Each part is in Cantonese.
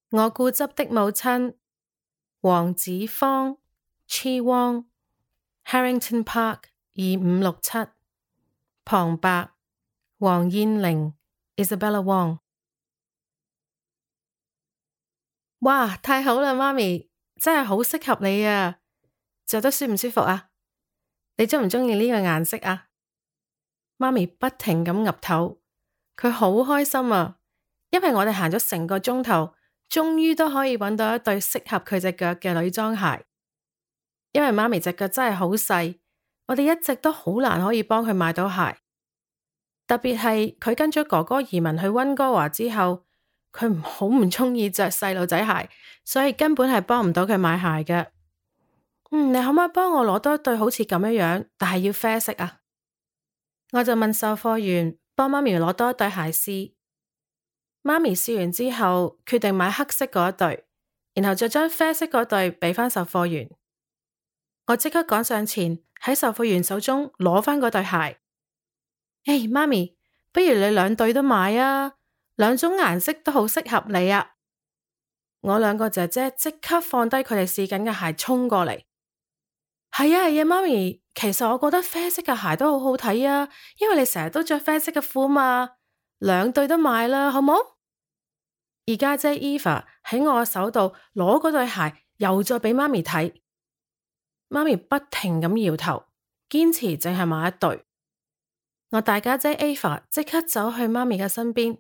我固執的母親，黃子芳 Chi Wong Harrington Park 2567，旁白黃燕玲 Isabella Wong。哇，太好啦，媽咪，真係好適合你啊！着得舒唔舒服啊？你鍾唔鍾意呢個顏色啊？媽咪不停咁岌頭，佢好開心啊，因為我哋行咗成個鐘頭，終於都可以揾到一對適合佢隻腳嘅女裝鞋。因為媽咪隻腳真係好細，我哋一直都好難可以幫佢買到鞋。特別係佢跟咗哥哥移民去溫哥華之後，佢好唔鍾意着細路仔鞋，所以根本係幫唔到佢買鞋嘅。你可唔可以幫我攞多一對好似咁樣，但係要啡色啊？我就問售貨員幫媽咪攞多一對鞋試。媽咪試完之後，決定買黑色嗰一對，然後再將啡色嗰對俾返售貨員。我即刻趕上前喺售貨員手中攞返嗰對鞋。媽咪，不如你兩對都買啊，兩種顏色都好適合你啊！我兩個姐姐即刻放低佢哋試緊嘅鞋，衝過嚟。係啊，媽咪，其實我覺得啡色嘅鞋都好好睇啊，因為你成日都着啡色嘅褲嘛，兩對都買啦，好冇？而家姐 Eva 喺我手度攞嗰對鞋，又再俾媽咪睇。媽咪不停咁搖頭，堅持淨係買一對。我大家姐 Eva 即刻走去媽咪嘅身邊，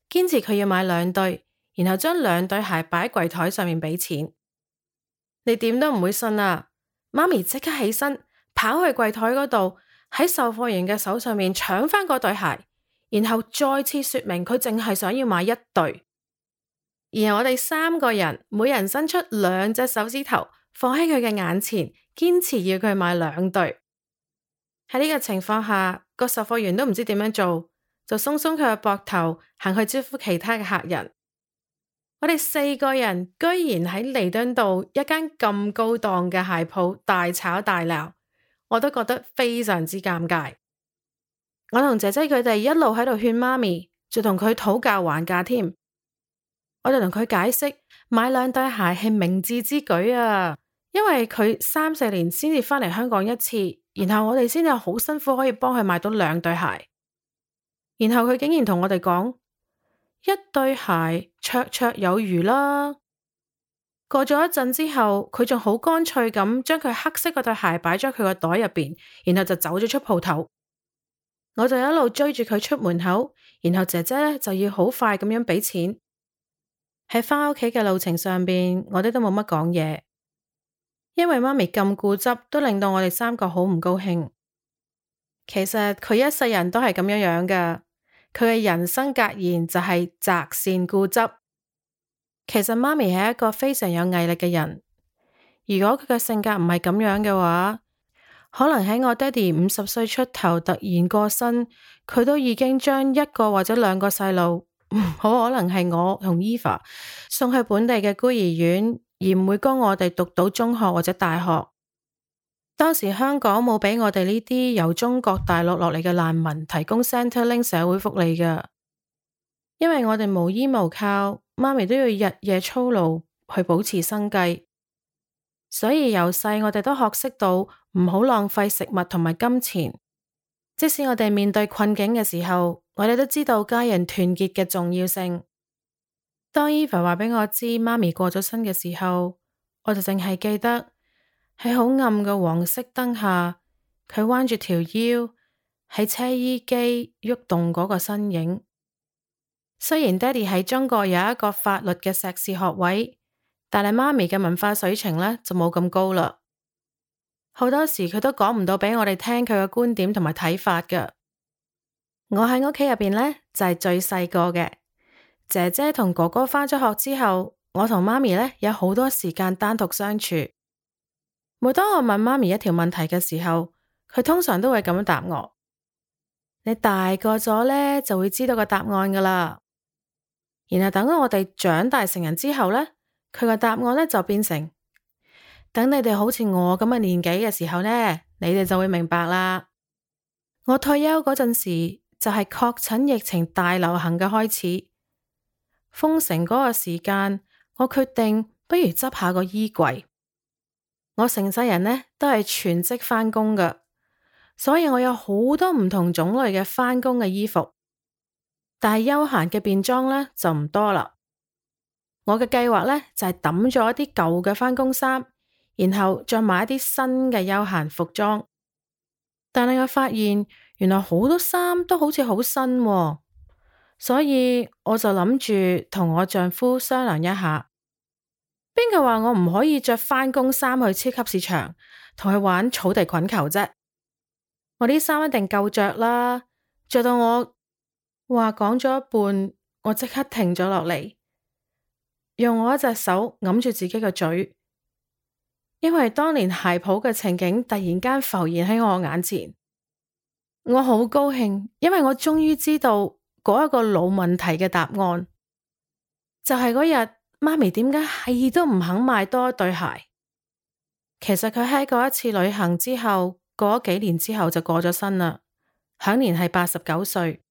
堅持佢要買兩對，然後將兩對鞋擺喺櫃台上面俾錢。你點都唔會信啊！媽咪即刻起身，跑去櫃台嗰度，喺售貨員嘅手上面搶返嗰對鞋，然後再次說明佢淨係想要買一對。然後我哋三個人每人伸出兩隻手指頭，放喺佢嘅眼前，堅持要佢買兩對。喺呢個情況下，個售貨員都唔知點樣做，就鬆鬆佢嘅膊頭，行去招呼其他嘅客人。我哋四個人居然喺彌敦道一間咁高檔嘅鞋鋪大吵大鬧，我都覺得非常之尷尬。我同姐姐佢哋一路喺度勸媽咪，仲同佢討價還價添。我哋同佢解釋買兩對鞋係明智之舉啊，因為佢3-4年先至返嚟香港一次，然後我哋先至好辛苦可以幫佢買到兩對鞋。然後佢竟然同我哋講，一對鞋綽綽有餘啦。過咗一陣之後，佢仲好乾脆咁將佢黑色嗰對鞋擺咗佢個袋入邊，然後就走咗出鋪頭。我就一路追住佢出門口，然後姐姐咧就要好快咁樣俾錢。喺返屋企嘅路程上邊，我哋都冇乜講嘢，因為媽咪咁固執，都令到我哋三個好唔高興。其實佢一世人都係咁樣樣噶，佢嘅人生格言就係擇善固執。其實媽咪係一個非常有毅力嘅人，如果佢嘅性格唔係咁樣嘅話，可能喺我爹哋50歲出頭突然過身，佢都已經將一個或者兩個細路，好可能係我同 Eva 送去本地嘅孤兒院，而唔會供我哋讀到中學或者大學。當時香港冇俾我哋呢啲由中國大陸落嚟嘅難民提供 Centrelink 社會福利㗎，因為我哋無依無靠，媽咪都要日夜操勞去保持生計，所以由細我哋都學識到唔好浪費食物同埋金錢。即使我哋面對困境嘅時候，我哋都知道家人團結嘅重要性。當 Eva 話俾我知媽咪過咗身嘅時候，我就淨係記得喺好暗嘅黃色燈下，佢彎住條腰喺車衣機喐動嗰個身影。雖然爹哋喺中國有一個法律嘅碩士學位，但係媽咪嘅文化水平呢就冇咁高啦。好多時佢都講唔到俾我哋聽佢嘅觀點同埋睇法㗎。我喺屋企入邊呢，就係最細個嘅，姐姐同哥哥返咗學之後，我同媽咪呢有好多時間單獨相處。每當我問媽咪一條問題嘅時候，佢通常都會咁樣答我：你大個咗呢，就會知道個答案噶啦。然後等我哋長大成人之後呢，佢個答案呢就變成：等你哋好似我咁嘅年紀嘅時候呢，你哋就會明白啦。我退休嗰陣時就係確診疫情大流行嘅開始，封城嗰個時間我決定不如執下個衣櫃。我成世人呢都係全職返工㗎，所以我有好多唔同種類嘅返工嘅衣服，但係休閒嘅便裝呢就唔多啦。我嘅計劃呢就係抌咗一啲舊嘅返工衫，然後再買一啲新嘅休閒服裝。但係我發現原來好多衫都好似好新喎，所以我就諗住同我丈夫商量一下。邊個話我唔可以着返工衫去超級市場同佢玩草地滾球啫？我啲衫一定夠着啦，着到我話講咗一半，我即刻停咗落嚟，用我一隻手揞住自己個嘴，因為當年鞋鋪嘅情景突然間浮現喺我眼前。我好高興，因為我終於知道嗰一個老問題嘅答案，就係嗰日媽咪點解係都唔肯買多一對鞋。其實佢喺嗰一次旅行之後，過咗幾年之後就過咗身啦，享年係89歲。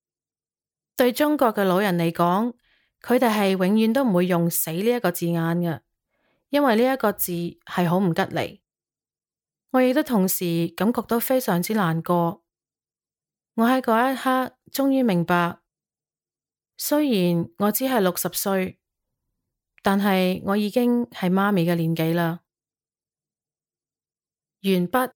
對中國嘅老人嚟講，佢哋係永遠都唔會用死呢一個字眼嘅，因為呢一個字係好唔吉利。我亦都同時感覺到非常之難過。我喺嗰一刻終於明白，雖然我只係60歲，但係我已經係媽咪嘅年紀啦。完畢。